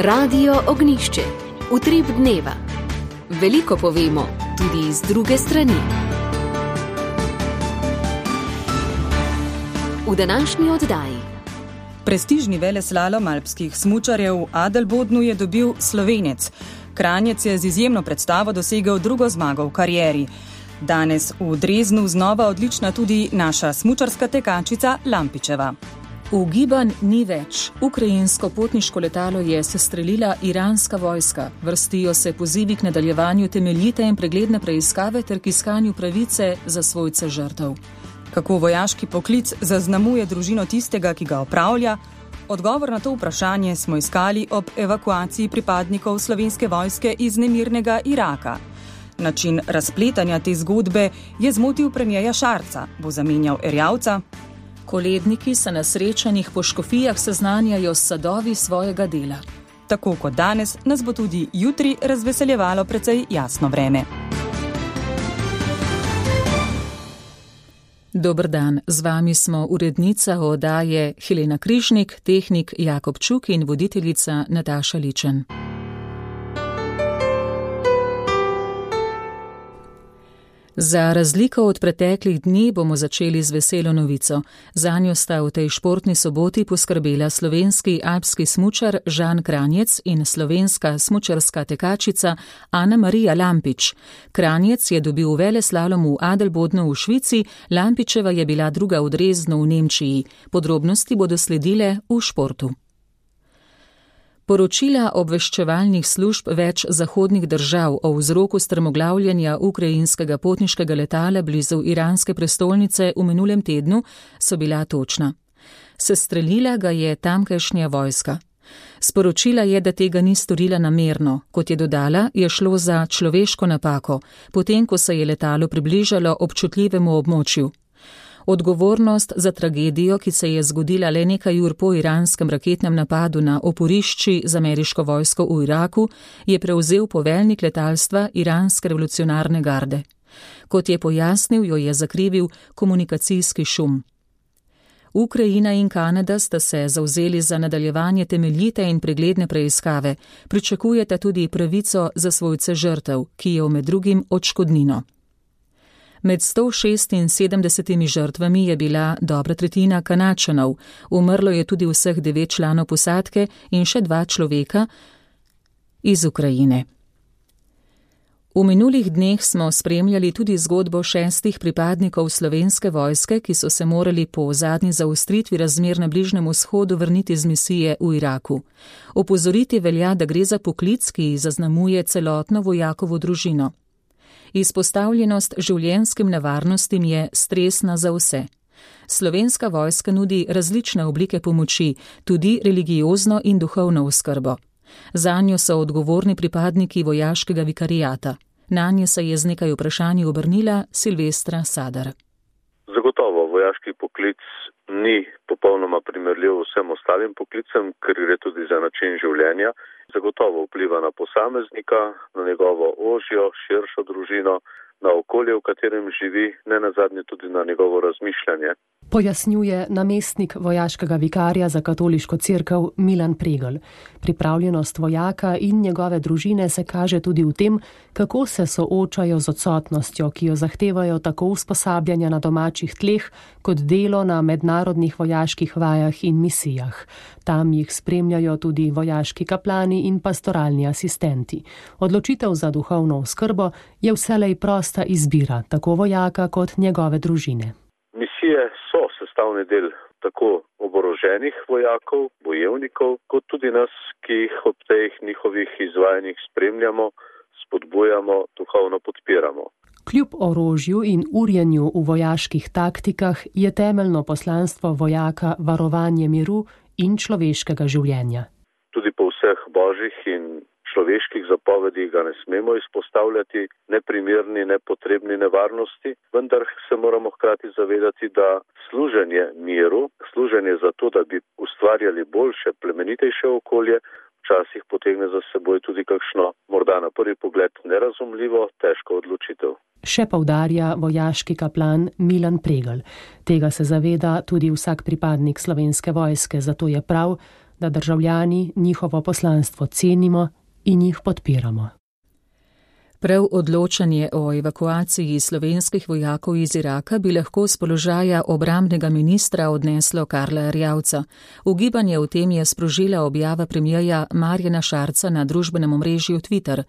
Radio Ognjišče. Utrip dneva. Veliko povemo, tudi iz druge strani. V današnji oddaji. Prestižni veleslalom alpskih smučarjev v Adelbodnu je dobil Slovenec. Kranjec je z izjemno predstavo dosegel drugo zmago v karieri. Danes v Dreznu znova odlična tudi naša smučarska tekačica Lampičeva. Ugibanj ni več. Ukrajinsko potniško letalo je sestrelila iranska vojska. Vrstijo se pozivi k nadaljevanju temeljite in pregledne preiskave ter k iskanju pravice za svojce žrtev. Kako vojaški poklic zaznamuje družino tistega, ki ga opravlja? Odgovor na to vprašanje smo iskali ob evakuaciji pripadnikov slovenske vojske iz nemirnega Iraka. Način razpletanja te zgodbe je zmotil premierja Šarca. Bo zamenjal Erjavca? Koledniki se na srečanjih po Škofijah seznanjajo s sadovi svojega dela. Tako kot danes, nas bo tudi jutri razveseljevalo precej jasno vreme. Dober dan, z vami smo urednica oddaje Helena Križnik, tehnik Jakob Čuk in voditeljica Nataša Ličen. Za razliko od preteklih dni bomo začeli z veselo novico. Zanjo sta v tej športni soboti poskrbela slovenski alpski smučar Žan Kranjec in slovenska smučarska tekačica Ana Marija Lampič. Kranjec je dobil veleslalom v Adelbodnu v Švici, Lampičeva je bila druga v Dreznu v Nemčiji. Podrobnosti bodo sledile v športu. Poročila obveščevalnih služb več zahodnih držav o vzroku strmoglavljanja ukrajinskega potniškega letala blizu iranske prestolnice v minulem tednu so bila točna. Sestrelila ga je tamkajšnja vojska. Sporočila je, da tega ni storila namerno. Kot je dodala, je šlo za človeško napako, potem ko se je letalo približalo občutljivemu območju. Odgovornost za tragedijo, ki se je zgodila le nekaj ur po iranskem raketnem napadu na oporišči z ameriško vojsko v Iraku, je prevzel poveljnik letalstva iranske revolucionarne garde. Kot je pojasnil, jo je zakrivil komunikacijski šum. Ukrajina in Kanada sta se zavzeli za nadaljevanje temeljite in pregledne preiskave. Pričakujeta tudi pravico za svojce žrtev, ki je med drugim odškodnino. Med 176 žrtvami je bila dobra tretjina Kanadčanov, umrlo je tudi vseh 9 članov posadke in še 2 človeka iz Ukrajine. V minulih dneh smo spremljali tudi zgodbo 6 pripadnikov slovenske vojske, ki so se morali po zadnji zaostritvi razmer na Bližnjem vzhodu vrniti z misije v Iraku. Opozoriti velja, da gre za poklic, ki zaznamuje celotno vojakovo družino. Izpostavljenost življenjskim nevarnostim je stresna za vse. Slovenska vojska nudi različne oblike pomoči, tudi religiozno in duhovno oskrbo. Zanjo so odgovorni pripadniki vojaškega vikarijata. Nanje se je z nekaj vprašanji obrnila Silvestra Sadar. Zagotovo vojaški poklic ni popolnoma primerljiv vsem ostalim poklicem, ker gre tudi za način življenja. Zagotovo vpliva na posameznika, na njegovo ožjo, širšo družino, na okolje, v katerem živi, ne nazadnje tudi na njegovo razmišljanje. Pojasnjuje namestnik vojaškega vikarja za katoliško cerkev Milan Pregl. Pripravljenost vojaka in njegove družine se kaže tudi v tem, kako se soočajo z odsotnostjo, ki jo zahtevajo tako usposabljanja na domačih tleh, kot delo na mednarodnih vojaških vajah in misijah. Tam jih spremljajo tudi vojaški kaplani in pastoralni asistenti. Odločitev za duhovno oskrbo je vselej prosta izbira, tako vojaka kot njegove družine. Misije so sestavni del tako oboroženih vojakov, bojevnikov, kot tudi nas, ki jih ob teh njihovih izvajanjih spremljamo, spodbujamo, duhovno podpiramo. Kljub orožju in urjenju v vojaških taktikah je temeljno poslanstvo vojaka varovanje miru in človeškega življenja. Tudi po vseh božjih in človeških zapovedih ga ne smemo izpostavljati neprimerni, nepotrebni nevarnosti, vendar se moramo hkrati zavedati, da služenje miru, služenje za to, da bi ustvarjali boljše, plemenitejše okolje, včasih potegne za seboj tudi kakšno, morda na prvi pogled nerazumljivo, težko odločitev. Še poudarja vojaški kaplan Milan Pregl. Tega se zaveda tudi vsak pripadnik slovenske vojske, zato je prav, da državljani njihovo poslanstvo cenimo in jih podpiramo. Prav odločanje o evakuaciji slovenskih vojakov iz Iraka bi lahko z položaja obrambnega ministra odneslo Karla Erjavca. Ugibanje o tem je sprožila objava premierja Marjana Šarca na družbenem omrežju Twitter.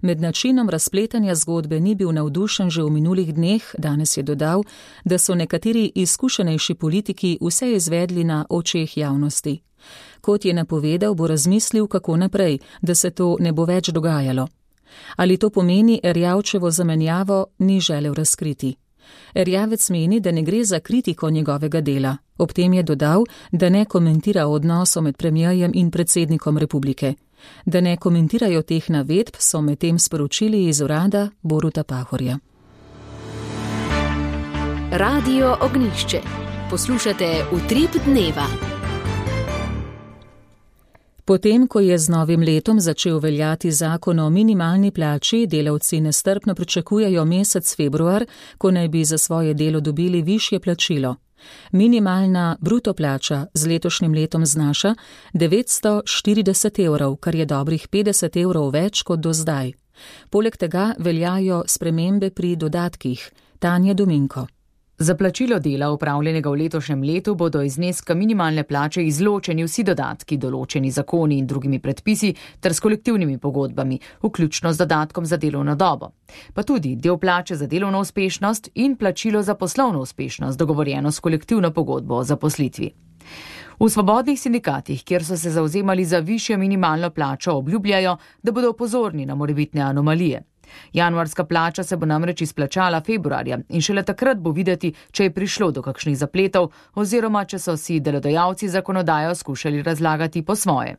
Med načinom razpletanja zgodbe ni bil navdušen že v minulih dneh, danes je dodal, da so nekateri izkušenejši politiki vse izvedli na očeh javnosti. Kot je napovedal, bo razmislil, kako naprej, da se to ne bo več dogajalo. Ali to pomeni Erjavčevo zamenjavo, ni želel razkriti. Erjavec meni, da ne gre za kritiko njegovega dela. Ob tem je dodal, da ne komentira odnosov med premierjem in predsednikom republike. Da ne komentirajo teh navedb, so medtem sporočili iz urada Boruta Pahorja. Radio Ognjišče. Poslušate Utrip dneva. Potem, ko je z novim letom začel veljati zakon o minimalni plači, delavci nestrpno pričakujejo mesec februar, ko naj bi za svoje delo dobili višje plačilo. Minimalna bruto plača z letošnjim letom znaša 940 evrov, kar je dobrih 50 evrov več kot do zdaj. Poleg tega veljajo spremembe pri dodatkih. Tanja Dominko. Za plačilo dela opravljenega v letošnjem letu bodo iz zneska minimalne plače izločeni vsi dodatki, določeni zakoni in drugimi predpisi ter s kolektivnimi pogodbami, vključno z dodatkom za delovno dobo. Pa tudi del plače za delovno uspešnost in plačilo za poslovno uspešnost, dogovorjeno s kolektivno pogodbo o zaposlitvi. V svobodnih sindikatih, kjer so se zavzemali za višjo minimalno plačo, obljubljajo, da bodo pozorni na morebitne anomalije. Januarska plača se bo namreč izplačala februarja in šele takrat bo videti, če je prišlo do kakšnih zapletov oziroma če so si delodajalci zakonodajo skušali razlagati po svoje.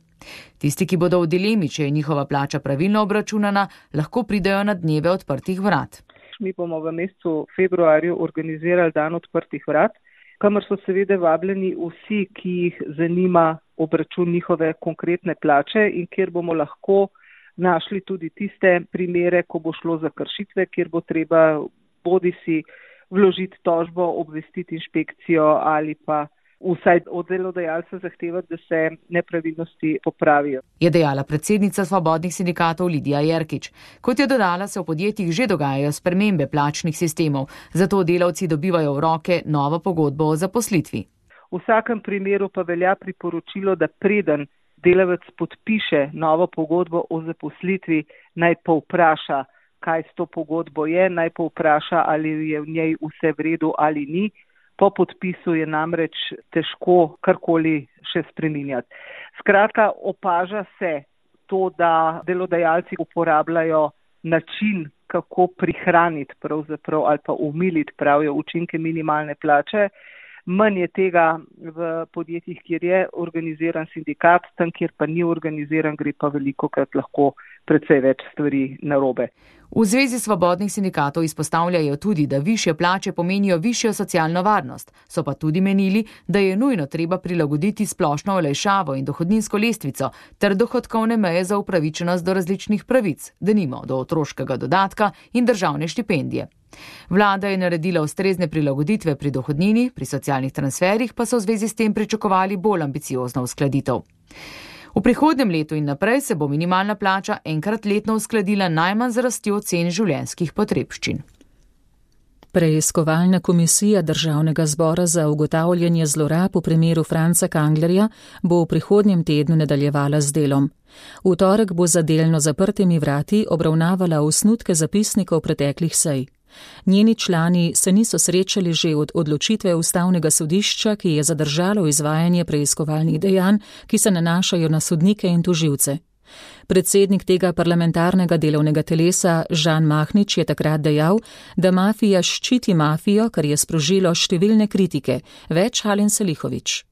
Tisti, ki bodo v dilemi, če je njihova plača pravilno obračunana, lahko pridejo na dneve odprtih vrat. Mi bomo v mesecu februarju organizirali dan odprtih vrat, kamor so seveda vabljeni vsi, ki jih zanima obračun njihove konkretne plače in kjer bomo lahko našli tudi tiste primere, ko bo šlo za kršitve, kjer bo treba bodisi vložiti tožbo, obvestiti inšpekcijo ali pa vsaj od delodajalca zahtevati, da se nepravilnosti popravijo. Je dejala predsednica svobodnih sindikatov Lidija Jerkič. Kot je dodala, se v podjetjih že dogajajo spremembe plačnih sistemov, zato delavci dobivajo v roke novo pogodbo o zaposlitvi. V vsakem primeru pa velja priporočilo, da preden delavec podpiše novo pogodbo o zaposlitvi, naj povpraša, kaj s to pogodbo je, naj povpraša, ali je v njej vse v redu ali ni. Po podpisu je namreč težko karkoli še spreminjati. Skratka, opaža se to, da delodajalci uporabljajo način, kako prihraniti pravzaprav ali pa umiliti, pravijo, učinke minimalne plače. Manj je tega v podjetjih, kjer je organiziran sindikat, tam, kjer pa ni organiziran, gre pa velikokrat lahko precej več stvari narobe. V Zvezi svobodnih sindikatov izpostavljajo tudi, da višje plače pomenijo višjo socialno varnost. So pa tudi menili, da je nujno treba prilagoditi splošno olajšavo in dohodninsko lestvico ter dohodkovne meje za upravičenost do različnih pravic, denimo do otroškega dodatka in državne štipendije. Vlada je naredila ustrezne prilagoditve pri dohodnini, pri socialnih transferih pa so v zvezi s tem pričakovali bolj ambiciozno uskladitev. V prihodnjem letu in naprej se bo minimalna plača enkrat letno uskladila najmanj z rastjo cen življenjskih potrebščin. Preiskovalna komisija Državnega zbora za ugotavljanje zlorab v primeru Franca Kanglerja bo v prihodnjem tednu nadaljevala z delom. V torek bo za delno zaprtimi vrati obravnavala osnutke zapisnikov preteklih sej. Njeni člani se niso srečali že od odločitve Ustavnega sodišča, ki je zadržalo izvajanje preiskovalnih dejanj, ki se nanašajo na sodnike in tožilce. Predsednik tega parlamentarnega delovnega telesa Žan Mahnič je takrat dejal, da mafija ščiti mafijo, kar je sprožilo številne kritike. Več Halen Selihovič.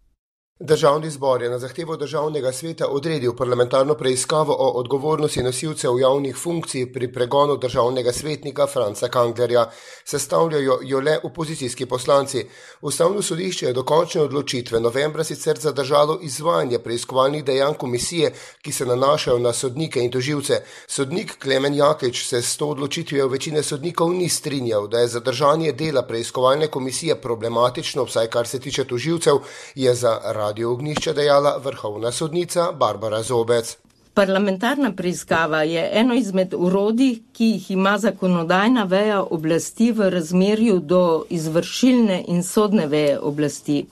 Državni zbor je na zahtevo Državnega sveta odredil parlamentarno preiskavo o odgovornosti nosilcev javnih funkcij pri pregonu državnega svetnika Franca Kanglerja. Sestavljajo jo le opozicijski poslanci. Ustavno sodišče je do končne odločitve novembra sicer zadržalo izvajanje preiskovalnih dejanj komisije, ki se nanašajo na sodnike in tožilce. Sodnik Klemen Jaklič se s to odločitvijo večine sodnikov ni strinjal, da je zadržanje dela preiskovalne komisije problematično, vsaj kar se tiče tožilcev, je za Radio Ognjišče dejala vrhovna sodnica Barbara Zobec. Parlamentarna preiskava je eno izmed orodij, ki jih ima zakonodajna veja oblasti v razmerju do izvršilne in sodne veje oblasti.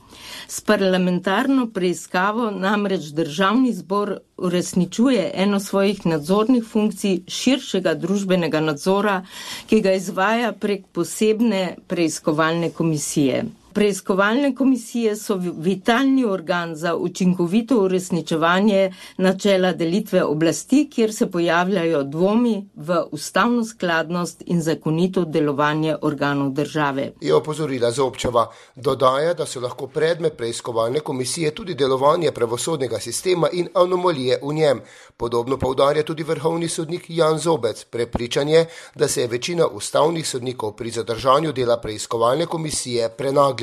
S parlamentarno preiskavo namreč Državni zbor uresničuje eno svojih nadzornih funkcij širšega družbenega nadzora, ki ga izvaja prek posebne preiskovalne komisije. Preiskovalne komisije so vitalni organ za učinkovito uresničevanje načela delitve oblasti, kjer se pojavljajo dvomi v ustavno skladnost in zakonito delovanje organov države. Je opozorila Zobčeva. Dodaja, da so lahko predmet preiskovalne komisije tudi delovanje pravosodnega sistema in anomalije v njem. Podobno poudarja tudi vrhovni sodnik Jan Zobec. Prepričan je, da se je večina ustavnih sodnikov pri zadržanju dela preiskovalne komisije prenaglila.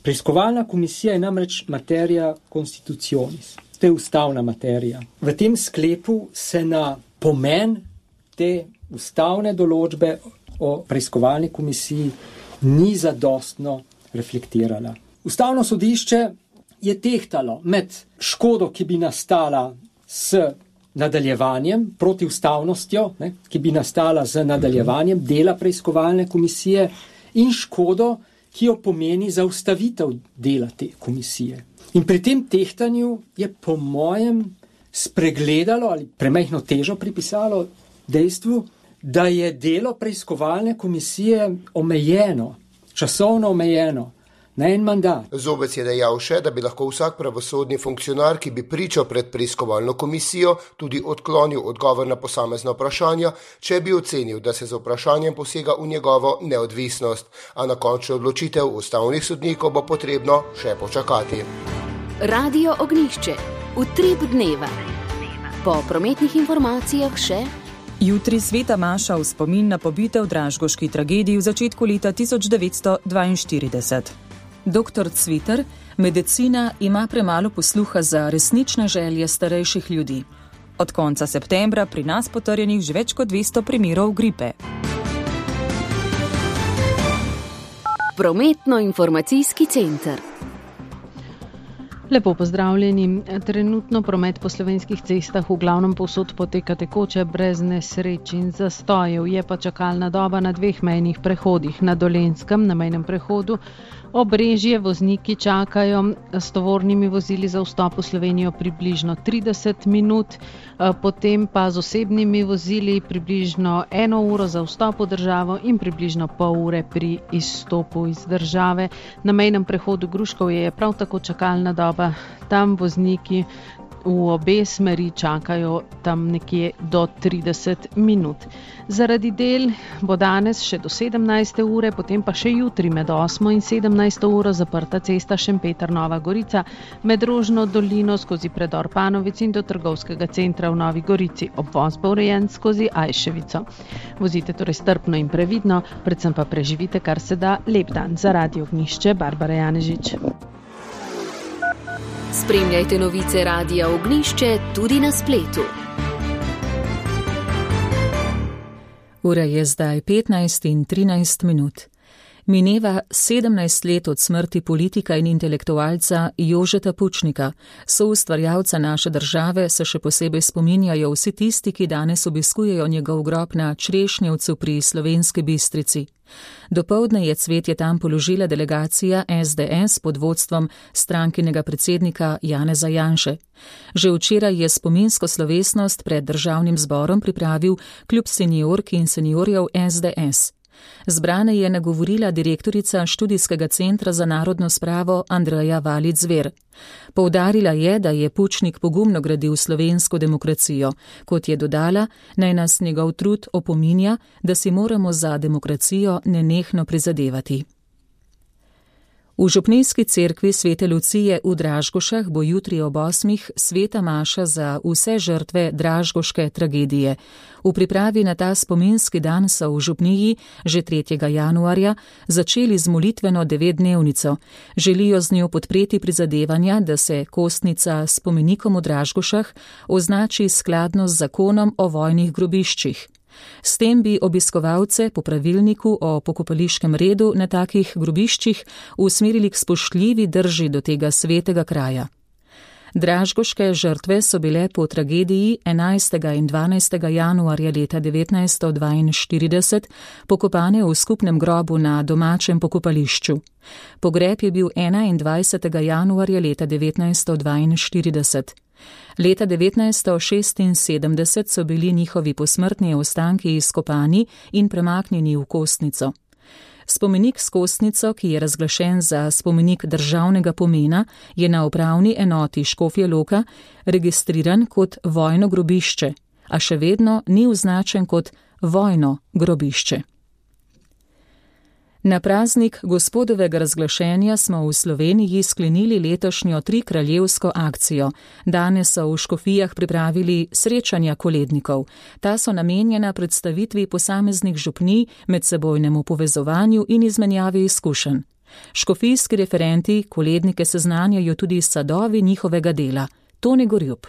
Preiskovalna komisija je namreč materia constitutionis. To je ustavna materija. V tem sklepu se na pomen te ustavne določbe o preiskovalni komisiji ni zadostno reflektirala. Ustavno sodišče je tehtalo med škodo, ki bi nastala s nadaljevanjem, protiustavnostjo, ki bi nastala z nadaljevanjem dela preiskovalne komisije in škodo, ki jo pomeni zaustavitev dela te komisije. In pri tem tehtanju je po mojem spregledalo ali premajhno težo pripisalo dejstvu, da je delo preiskovalne komisije omejeno, časovno omejeno, na en mandat. Zobec je dejal še, da bi lahko vsak pravosodni funkcionar, ki bi pričal pred preiskovalno komisijo, tudi odklonil odgovor na posamezna vprašanja, če bi ocenil, da se z vprašanjem posega v njegovo neodvisnost, a na končno odločitev ustavnih sodnikov bo potrebno še počakati. Radio Ognjišče, utrip dneva. Po prometnih informacijah še jutri sveta maša v spomin na pobite v dražgoški tragediji v začetku leta 1942. Dr. Cviter, medicina ima premalo posluha za resnične želje starejših ljudi. Od konca septembra pri nas potrjenih že več kot 200 primerov gripe. Prometno-informacijski center. Lepo pozdravljeni. Trenutno promet po slovenskih cestah v glavnem povsod poteka tekoče, brez nesreč in zastojev. Je pa čakalna doba na 2 mejnih prehodih. Na Dolenjskem, na mejnem prehodu Obrežje, vozniki čakajo s tovornimi vozili za vstop v Slovenijo približno 30 minut, potem pa z osebnimi vozili približno 1 uro za vstop v državo in približno pol ure pri izstopu iz države. Na mejnem prehodu Gruškovje je prav tako čakalna doba, tam vozniki v obe smeri čakajo tam nekje do 30 minut. Zaradi del bo danes še do 17. ure, potem pa še jutri med 8. in 17. uro zaprta cesta Šempeter-Nova Gorica med Rožno dolino skozi predor Panovec in do trgovskega centra v Novi Gorici. Obvoz bo urejen skozi Ajševico. Vozite torej strpno in previdno, predvsem pa preživite kar se da lep dan. Za Radio Ognjišče, Barbara Janežič. Spremljajte novice Radia Ognjišče tudi na spletu. Ura je zdaj 15:13. Mineva 17 let od smrti politika in intelektualca Jožeta Pučnika. Soustvarjalca naše države se še posebej spominjajo vsi tisti, ki danes obiskujejo njegov grob na Črešnjevcu pri Slovenski Bistrici. Dopoldne je cvetje tam položila delegacija SDS pod vodstvom strankinega predsednika Janeza Janše. Že včeraj je spominsko slovesnost pred državnim zborom pripravil klub seniork in seniorjev SDS. Zbrane je nagovorila direktorica študijskega centra za narodno spravo Andreja Valic-Zver. Poudarila je, da je Pučnik pogumno gradil slovensko demokracijo. Kot je dodala, naj nas njegov trud opominja, da si moramo za demokracijo nenehno prizadevati. V župnijski cerkvi Svete Lucije v Dražgošah bo jutri ob 8. sveta maša za vse žrtve dražgoške tragedije. V pripravi na ta spominski dan so v župniji že 3. januarja začeli z molitveno 9-dnevnico. Želijo z njo podpreti prizadevanja, da se kostnica s spomenikom v Dražgošah označi skladno z zakonom o vojnih grobiščih. S tem bi obiskovalce po pravilniku o pokopališkem redu na takih grobiščih usmerili k spoštljivi drži do tega svetega kraja. Dražgoške žrtve so bile po tragediji 11. in 12. januarja leta 1942 pokopane v skupnem grobu na domačem pokopališču. Pogreb je bil 21. januarja leta 1942. Leta 1976 so bili njihovi posmrtni ostanki izkopani in premaknjeni v Kostnico. Spomenik s Kostnico, ki je razglašen za spomenik državnega pomena, je na upravni enoti Škofje Loka registriran kot vojno grobišče, a še vedno ni označen kot vojno grobišče. Na praznik Gospodovega razglašenja smo v Sloveniji sklenili letošnjo trikraljevsko akcijo. Danes so v škofijah pripravili srečanja kolednikov. Ta so namenjena predstavitvi posameznih župnij, medsebojnemu povezovanju in izmenjavi izkušenj. Škofijski referenti kolednike seznanjajo tudi s sadovi njihovega dela. Toni Gorjup.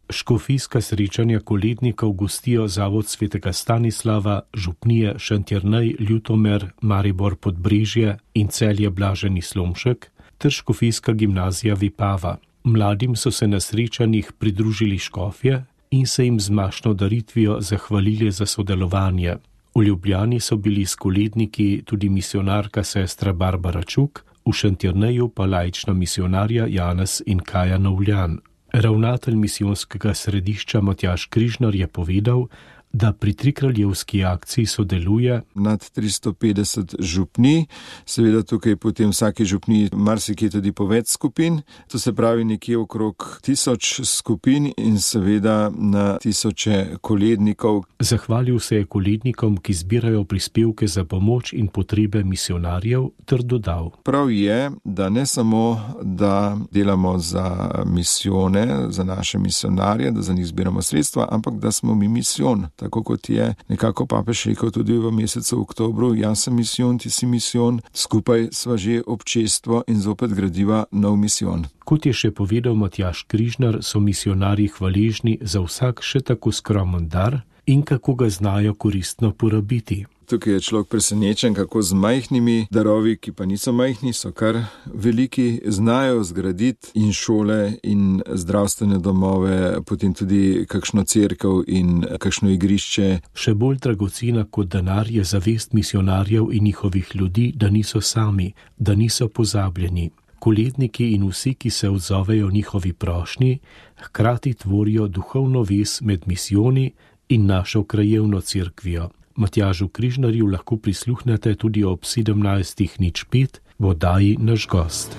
Škofijska srečanja kolednikov gostijo Zavod svetega Stanislava, župnije Šentjernej, Ljutomer, Maribor Podbrežje in Celje Blaženi Slomšek ter škofijska gimnazija Vipava. Mladim so se na srečanjih pridružili škofje in se jim z mašno daritvijo zahvalili za sodelovanje. V Ljubljani so bili s koledniki tudi misionarka sestra Barbara Čuk, v Šentjerneju pa laična misionarja Janez in Kaja Novljan. Ravnatelj misijonskega središča Matjaž Križnar je povedal, da pri trikraljevski akciji sodeluje nad 350 župnij, seveda tukaj potem vsaki župniji marsikje tudi po več skupin, to se pravi nekje okrog 1000 skupin in seveda na tisoče kolednikov. Zahvalil se je kolednikom, ki zbirajo prispevke za pomoč in potrebe misionarjev, ter dodal. Prav je, da ne samo, da delamo za misijone, za naše misionarje, da za njih zbiramo sredstva, ampak da smo mi misijon. Tako kot je nekako papež rekel tudi v mesecu oktobru, jaz sem misijon, ti si misijon, skupaj sva že občestvo in zopet gradiva nov misijon. Kot je še povedal Matjaž Križnar, so misionarji hvaležni za vsak še tako skromen dar in kako ga znajo koristno porabiti. Tukaj je človek presenečen, kako z majhnimi darovi, ki pa niso majhni, so kar veliki, znajo zgraditi in šole in zdravstvene domove, potem tudi kakšno cerkev in kakšno igrišče. Še bolj dragocena kot denar je zavest misionarjev in njihovih ljudi, da niso sami, da niso pozabljeni. Koledniki in vsi, ki se odzovejo njihovi prošnji, hkrati tvorijo duhovno vez med misijoni in našo krajevno cerkvijo. Matjažu Križnarju lahko prisluhnete tudi ob 17:05 v oddaji Naš gost.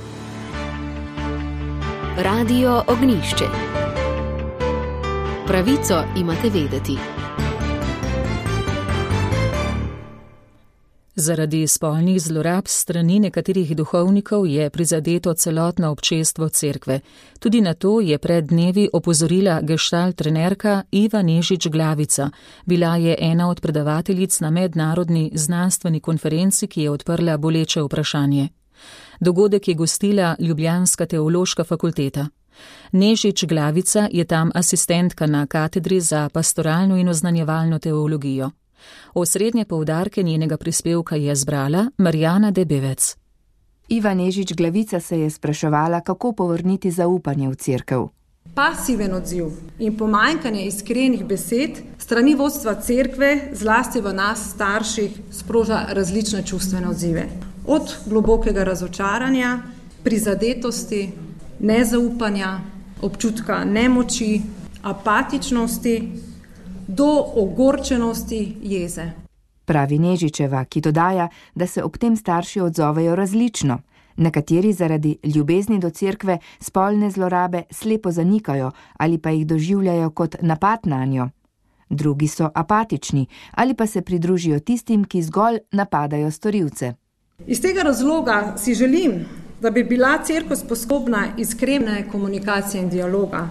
Radio Ognjišče. Pravico imate vedeti. Zaradi spolnih zlorab strani nekaterih duhovnikov je prizadeto celotno občestvo cerkve. Tudi na to je pred dnevi opozorila gestalt trenerka Iva Nežič Glavica. Bila je ena od predavateljic na mednarodni znanstveni konferenci, ki je odprla boleče vprašanje. Dogodek je gostila Ljubljanska teološka fakulteta. Nežič Glavica je tam asistentka na katedri za pastoralno in oznanjevalno teologijo. Osrednje poudarke njenega prispevka je zbrala Marjana Debevec. Iva Nežič Glavica se je spraševala, kako povrniti zaupanje v cerkev. Pasiven odziv in pomanjkanje iskrenih besed strani vodstva cerkve, zlasti v nas starših, sproža različne čustvene odzive. Od globokega razočaranja, prizadetosti, nezaupanja, občutka nemoči, apatičnosti, do ogorčenosti, jeze. Pravi Nežičeva, ki dodaja, da se ob tem starši odzovejo različno. Nekateri zaradi ljubezni do cerkve spolne zlorabe slepo zanikajo ali pa jih doživljajo kot napad nanjo. Drugi so apatični ali pa se pridružijo tistim, ki zgolj napadajo storilce. Iz tega razloga si želim, da bi bila cerkev sposobna iskrene komunikacije in dialoga.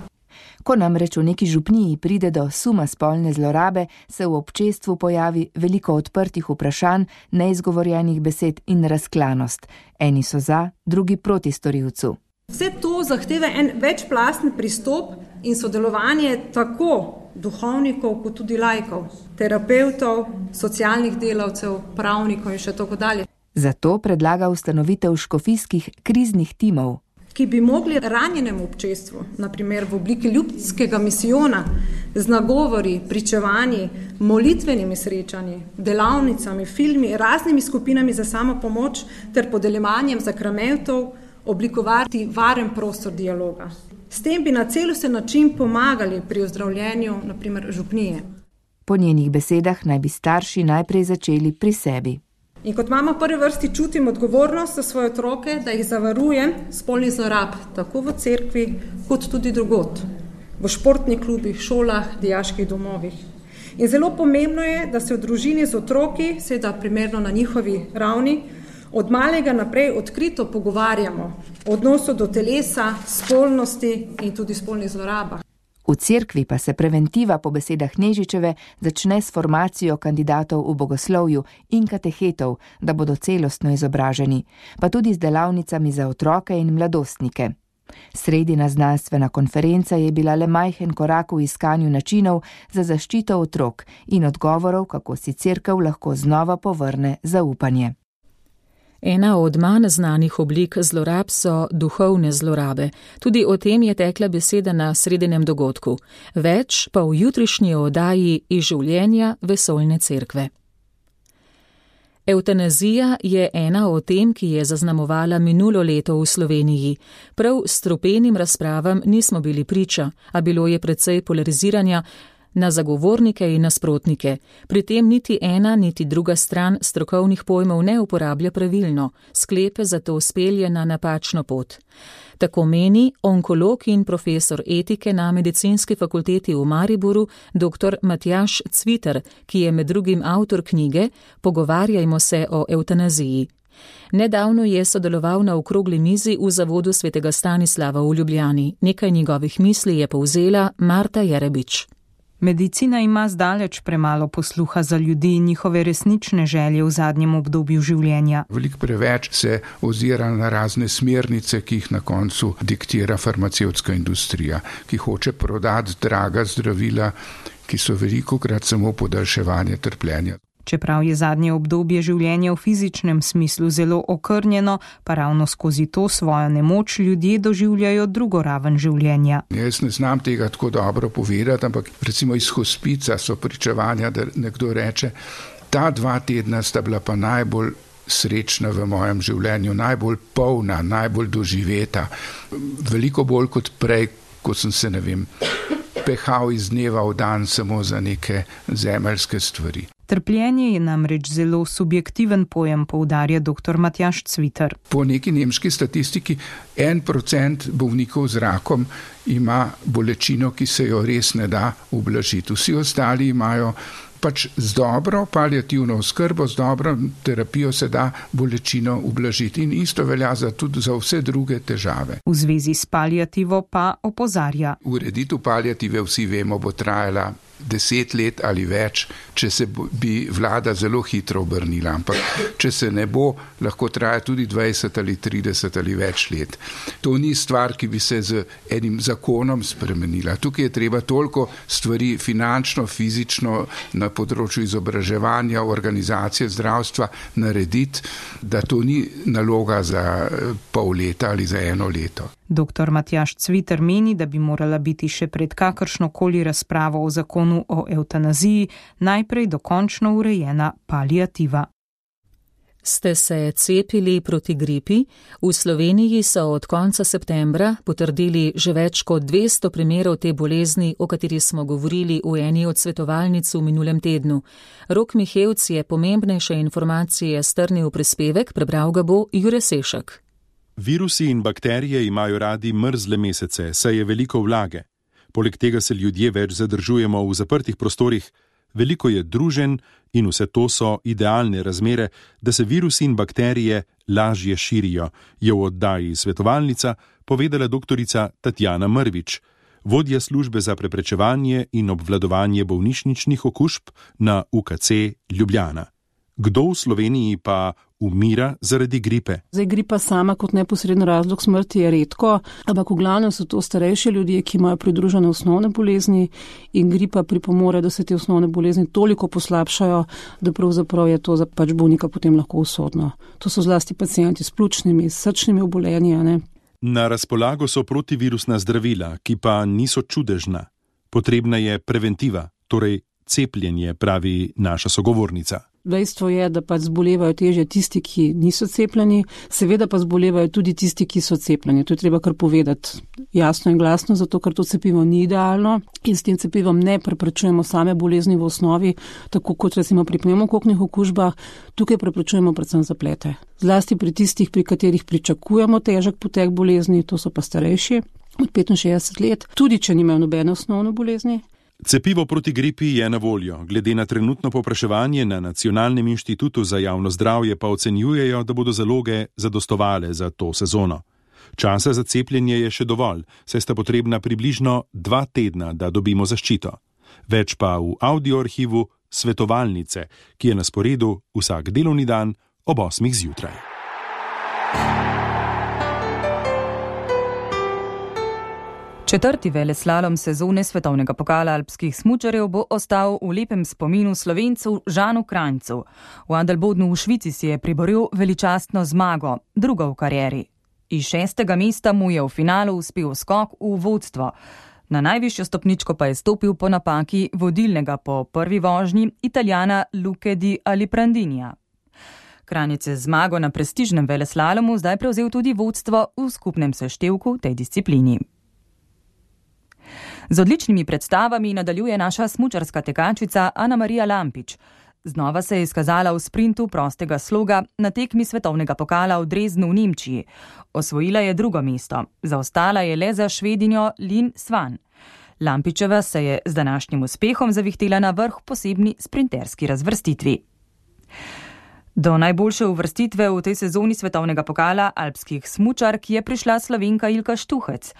Ko namreč v neki župniji pride do suma spolne zlorabe, se v občestvu pojavi veliko odprtih vprašanj, neizgovorjenih besed in razklanost. Eni so za, drugi proti storilcu. Vse to zahteva en večplastni pristop in sodelovanje tako duhovnikov kot tudi laikov, terapevtov, socialnih delavcev, pravnikov in še tako dalje. Zato predlaga ustanovitev škofijskih kriznih timov. ki bi mogli ranjenemu občestvu, naprimer v obliki ljudskega misijona, z nagovori, pričevanji, molitvenimi srečanji, delavnicami, filmi, raznimi skupinami za samopomoč ter podeljevanjem sakramentov oblikovati varen prostor dialoga. S tem bi na celosten način pomagali pri ozdravljenju, naprimer, župnije. Po njenih besedah naj bi starši najprej začeli pri sebi. In kot mama v prvi vrsti čutim odgovornost za svoje otroke, da jih zavarujem spolnih zlorab, tako v cerkvi, kot tudi drugod, v športnih klubih, šolah, dijaških domovih. In zelo pomembno je, da se v družini z otroki, seveda primerno na njihovi ravni, od malega naprej odkrito pogovarjamo o odnosu do telesa, spolnosti in tudi spolnih zlorabah. V cerkvi pa se preventiva po besedah Nežičeve začne s formacijo kandidatov v bogoslovju in katehetov, da bodo celostno izobraženi, pa tudi z delavnicami za otroke in mladostnike. Sredina znanstvena konferenca je bila le majhen korak v iskanju načinov za zaščito otrok in odgovorov, kako si cerkev lahko znova povrne zaupanje. Ena od manj znanih oblik zlorab so duhovne zlorabe. Tudi o tem je tekla beseda na sredinem dogodku. Več pa v jutrišnji oddaji iz življenja vesoljne cerkve. Evtanazija je ena od tem, ki je zaznamovala minulo leto v Sloveniji. Prav strupenim razpravam nismo bili priča, a bilo je precej polariziranja na zagovornike in nasprotnike. Pri tem niti ena, niti druga stran strokovnih pojmov ne uporablja pravilno, sklepe zato spelje na napačno pot. Tako meni onkolog in profesor etike na Medicinski fakulteti v Mariboru dr. Matjaž Cviter, ki je med drugim avtor knjige Pogovarjajmo se o evtanaziji. Nedavno je sodeloval na okrogli mizi v Zavodu svetega Stanislava v Ljubljani. Nekaj njegovih misli je povzela Marta Jerebič. Medicina ima zdaleč premalo posluha za ljudi in njihove resnične želje v zadnjem obdobju življenja. Veliko preveč se ozira na razne smernice, ki jih na koncu diktira farmacevtska industrija, ki hoče prodati draga zdravila, ki so velikokrat samo podaljševanje trpljenja. Čeprav je zadnje obdobje življenja v fizičnem smislu zelo okrnjeno, pa ravno skozi to svojo nemoč ljudje doživljajo drugo raven življenja. Jaz ne znam tega tako dobro povedati, ampak recimo iz hospica so pričevanja, da nekdo reče, ta 2 tedna sta bila pa najbolj srečna v mojem življenju, najbolj polna, najbolj doživeta, veliko bolj kot prej, ko sem se, pehal iz dneva v dan samo za neke zemeljske stvari. Trpljenje je namreč zelo subjektiven pojem, poudarja dr. Matjaž Cviter. Po neki nemški statistiki 1% bolnikov z rakom ima bolečino, ki se jo res ne da ublažiti. Vsi ostali imajo pač z dobro paliativno oskrbo, z dobro terapijo se da bolečino ublažiti in isto velja tudi za vse druge težave. V zvezi s paliativo pa opozarja. Ureditev paliative vsi vemo bo trajala 10 let ali več, če se bi vlada zelo hitro obrnila, ampak če se ne bo, lahko traja tudi 20 ali 30 ali več let. To ni stvar, ki bi se z enim zakonom spremenila. Tukaj je treba toliko stvari finančno, fizično, na področju izobraževanja, organizacije zdravstva narediti, da to ni naloga za pol leta ali za 1 leto. Dr. Matjaž Cviter meni, da bi morala biti še pred kakršnokoli razpravo o zakonu o evtanaziji najprej dokončno urejena paliativa. Ste se cepili proti gripi? V Sloveniji so od konca septembra potrdili že več kot 200 primerov te bolezni, o kateri smo govorili v eni od svetovalnic v minulem tednu. Rok Mihevc je pomembnejše informacije strnil prispevek, prebral ga bo Jure Sešek. Virusi in bakterije imajo radi mrzle mesece, saj je veliko vlage. Poleg tega se ljudje več zadržujemo v zaprtih prostorih, veliko je druženj in vse to so idealne razmere, da se virusi in bakterije lažje širijo, je v oddaji Svetovalnica povedala doktorica Tatjana Mrvič, vodja službe za preprečevanje in obvladovanje bolnišničnih okužb na UKC Ljubljana. Kdo v Sloveniji pa umira zaradi gripe? Gripa sama kot neposredni razlog smrti je redko, ampak v glavnem so to starejši ljudje, ki imajo pridružene osnovne bolezni in gripa pripomore, da se te osnovne bolezni toliko poslabšajo, da pravzaprav je to za bolnika potem lahko usodno. To so zlasti pacienti s pljučnimi, srčnimi obolenji. Na razpolago so protivirusna zdravila, ki pa niso čudežna. Potrebna je preventiva, torej cepljenje, pravi naša sogovornica. Dejstvo je, da pa zbolevajo težje tisti, ki niso cepljeni, seveda pa zbolevajo tudi tisti, ki so cepljeni. To je treba kar povedati jasno in glasno, zato ker to cepivo ni idealno in s tem cepivom ne preprečujemo same bolezni v osnovi, tako kot recimo pri pnevmokoknih okužbah, tukaj preprečujemo predvsem zaplete. Zlasti pri tistih, pri katerih pričakujemo težek potek bolezni, to so pa starejši od 65 let, tudi če nimajo nobene osnovne bolezni. Cepivo proti gripi je na voljo. Glede na trenutno povpraševanje na Nacionalnem inštitutu za javno zdravje pa ocenjujejo, da bodo zaloge zadostovale za to sezono. Časa za cepljenje je še dovolj, saj sta potrebna približno 2 tedna, da dobimo zaščito. Več pa v audioarhivu Svetovalnice, ki je na sporedu vsak delovni dan ob 8 zjutraj. Četrti veleslalom sezone svetovnega pokala alpskih smučarjev bo ostal v lepem spominu Slovencu Žanu Kranjcu. V Adelbodnu v Švici si je priboril veličastno zmago, drugo v karieri. Iz 6. mesta mu je v finalu uspel skok v vodstvo. Na najvišjo stopničko pa je stopil po napaki vodilnega po prvi vožnji Italijana Luke di Aliprandinija. Kranjec je zmago na prestižnem veleslalomu zdaj prevzel tudi vodstvo v skupnem seštevku tej disciplini. Z odličnimi predstavami nadaljuje naša smučarska tekačica Ana Marija Lampič. Znova se je izkazala v sprintu prostega sloga na tekmi svetovnega pokala v Dresdnu v Nemčiji. Osvojila je drugo mesto, zaostala je le za Švedinjo Lin Svan. Lampičeva se je z današnjim uspehom zavihtela na vrh posebni sprinterski razvrstitvi. Do najboljše uvrstitve v tej sezoni svetovnega pokala alpskih smučark je prišla Slovenka Ilka Štuhec.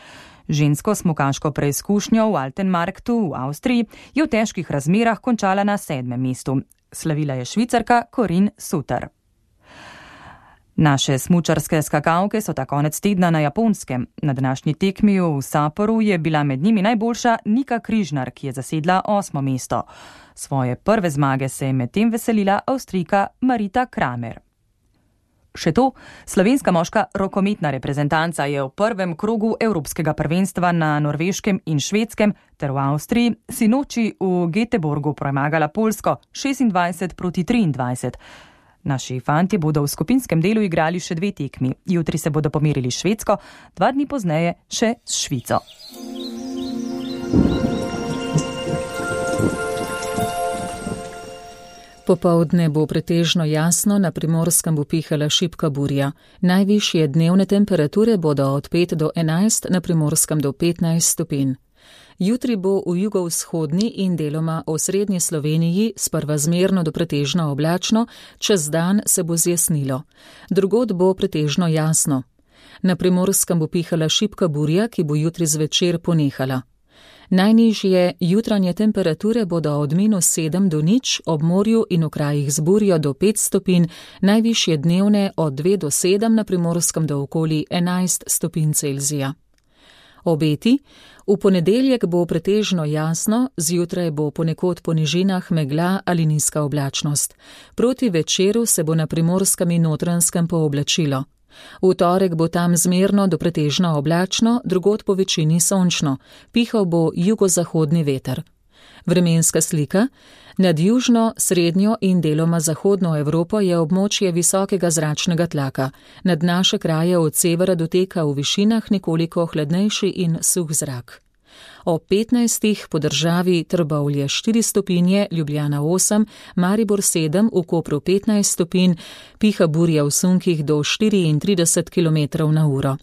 Žensko smukaško preizkušnjo v Altenmarktu v Avstriji je v težkih razmerah končala na 7. mestu. Slavila je Švicarka Corinne Suter. Naše smučarske skakalke so ta konec tedna na Japonskem. Na današnji tekmi v Sapporu je bila med njimi najboljša Nika Križnar, ki je zasedla 8. mesto. Svoje prve zmage se je medtem veselila Avstrijka Marita Kramer. Še to, slovenska moška rokometna reprezentanca je v prvem krogu Evropskega prvenstva na Norveškem in Švedskem ter v Avstriji sinoči v Göteborgu premagala Poljsko 26-23. Naši fantje bodo v skupinskem delu igrali še 2 tekmi. Jutri se bodo pomerili s Švedsko, 2 dni pozneje še s Švico. Popoldne bo pretežno jasno, na Primorskem bo pihala šibka burja. Najvišje dnevne temperature bodo od 5 do 11, na Primorskem do 15 stopinj. Jutri bo v jugovzhodni in deloma osrednji Sloveniji sprva zmerno do pretežno oblačno, čez dan se bo zjasnilo. Drugod bo pretežno jasno. Na Primorskem bo pihala šibka burja, ki bo jutri zvečer ponehala. Najnižje jutranje temperature bodo od -7 do 0, ob morju in v krajih z burjo do 5 stopinj, najvišje dnevne od 2 do 7, na Primorskem do okoli 11 stopinj Celzija. Obeti: v ponedeljek bo pretežno jasno, zjutraj bo ponekod po nižinah megla ali nizka oblačnost. Proti večeru se bo na Primorskem in Notranjskem pooblačilo. V torek bo tam zmerno do pretežno oblačno, drugod po večini sončno, pihal bo jugozahodni veter. Vremenska slika: nad južno, srednjo in deloma zahodno Evropo je območje visokega zračnega tlaka, nad naše kraje od severa doteka v višinah nekoliko hladnejši in suh zrak. Ob 15. po državi Trbovlje 4 stopinje, Ljubljana 8, Maribor 7, v Kopru 15 stopinj, piha burja v sunkih do 34 km/h.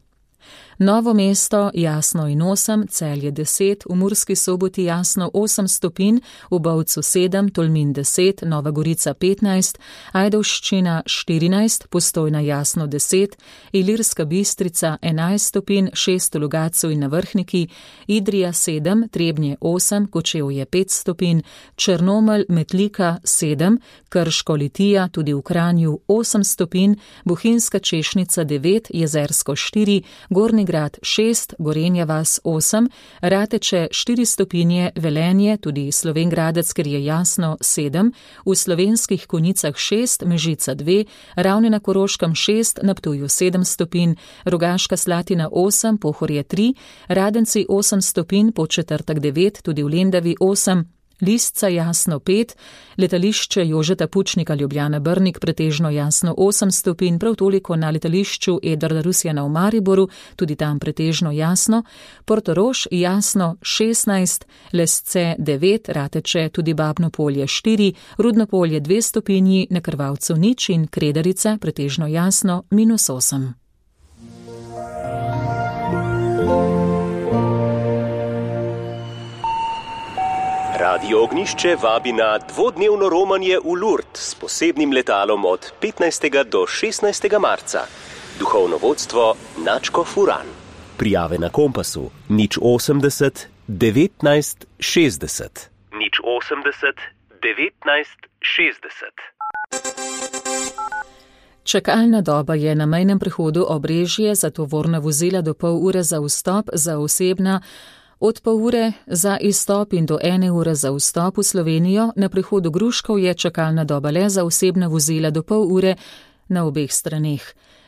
Novo mesto jasno in 8, Celje 10, v Murski Soboti jasno 8 stopinj, v Bovcu 7, Tolmin 10, Nova Gorica 15, Ajdovščina 14, Postojna jasno 10, Ilirska Bistrica 11 stopinj, 6 v Logatcu in na Vrhniki, Idrija 7, Trebnje 8, Kočevje 5 stopinj, Črnomelj, Metlika 7, Krško, Litija, tudi v Kranju 8 stopinj, Bohinjska Češnica 9, Jezersko 4, Gornji Črni grad 6, Gorenja vas 8, Rateče 4 stopinje, Velenje, tudi Slovenj Gradec, ker je jasno 7, v Slovenskih Konjicah 6, Mežica 2, Ravne na Koroškem 6, na Ptuju 7 stopinj, Rogaška Slatina 8, Pohorje 3, Radenci 8 stopinj, Podčetrtek 9, tudi v Lendavi 8, Lisca jasno 5, letališče Jožeta Pučnika Ljubljana Brnik pretežno jasno 8 stopinj, prav toliko na letališču Edvarda Rusjana v Mariboru, tudi tam pretežno jasno, Portorož jasno 16, Lesce 9, Rateče tudi Babno Polje 4, Rudno Polje 2 stopinji, na Krvavcu nič in Kredarica pretežno jasno -8. Radio Ognišče vabi na dvodnevno romanje v Lourdes s posebnim letalom od 15. do 16. marca. Duhovno vodstvo Načko Furan. Prijave na Kompasu 080 19 60. 080 19 60. Čakalna doba je na mejnem prehodu Obrežje za tovorna vozila do pol ure za vstop, za osebna od pol ure za izstop in do 1 ure za vstop v Slovenijo. Na prehodu Gruškov je čakalna doba le za osebna vozila do pol ure na obeh straneh.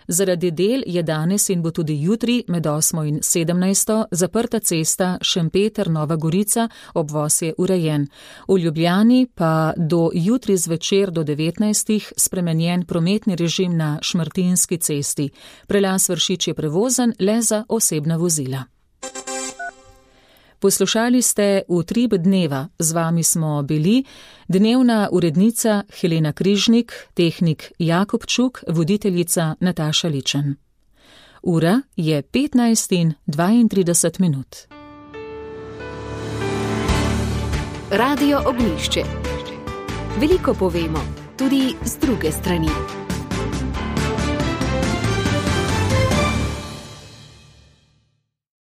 Zaradi del je danes in bo tudi jutri med 8 in 17 zaprta cesta Šempeter-Nova Gorica, obvoz je urejen. V Ljubljani pa do jutri zvečer do 19 spremenjen prometni režim na Šmartinski cesti. Prelaz Vršič je prevozen le za osebna vozila. Poslušali ste Utrip dneva, z vami smo bili dnevna urednica Helena Križnik, tehnik Jakob Čuk, voditeljica Nataša Ličen. Ura je 15:32. Radio Ognišče. Veliko povemo, tudi z druge strani.